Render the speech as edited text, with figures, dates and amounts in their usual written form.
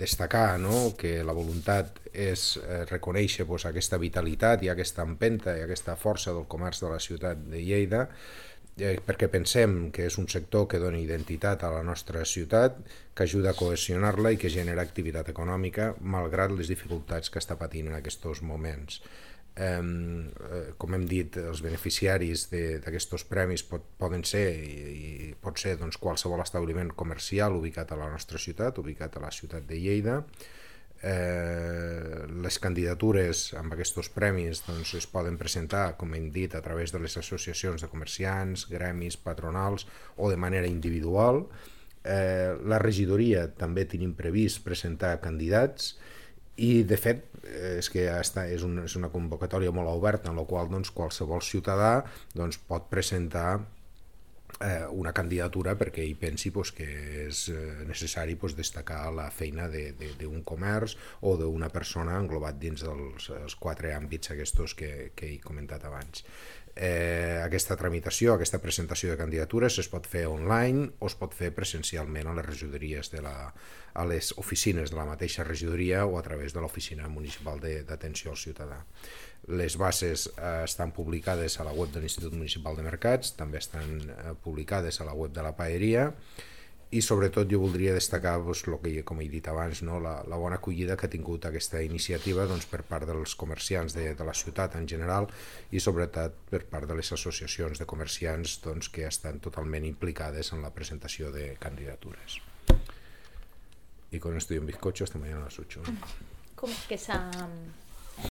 destacar, no?, que la voluntat és reconèixer aquesta vitalitat i aquesta empenta i aquesta força del comerç de la ciutat de Lleida, perquè pensem que és un sector que dona identitat a la nostra ciutat, que ajuda a cohesionar-la i que genera activitat econòmica malgrat les dificultats que està patint en aquests moments. Com hem dit, els beneficiaris d'aquests premis poden ser i pot ser qualsevol establiment comercial ubicat a la nostra ciutat, ubicat a la ciutat de Lleida. Les candidatures amb aquests premis es poden presentar, com hem dit, a través de les associacions de comerciants, gremis, patronals o de manera individual. La regidoria també tenim previst presentar candidats i de fet és que és una convocatòria molt oberta en la qual qualsevol ciutadà pot presentar una candidatura perquè ell pensi que és necessari destacar la feina d'un comerç o d'una persona englobat dins dels 4 àmbits aquests que he comentat abans. Aquesta tramitació, aquesta presentació de candidatures es pot fer online o es pot fer presencialment a les regidories, a les oficines de la mateixa regidoria o a través de l'Oficina Municipal d'Atenció al Ciutadà. Les bases estan publicades a la web de l'Institut Municipal de Mercats, també estan publicades a la web de la Paeria i sobretot jo voldria destacar el que, com he dit abans, la bona acollida que ha tingut aquesta iniciativa per part dels comerciants de la ciutat en general i sobretot per part de les associacions de comerciants que estan totalment implicades en la presentació de candidatures. Y con esto y un bizcocho hasta mañana a las 8. ¿Cómo es que esa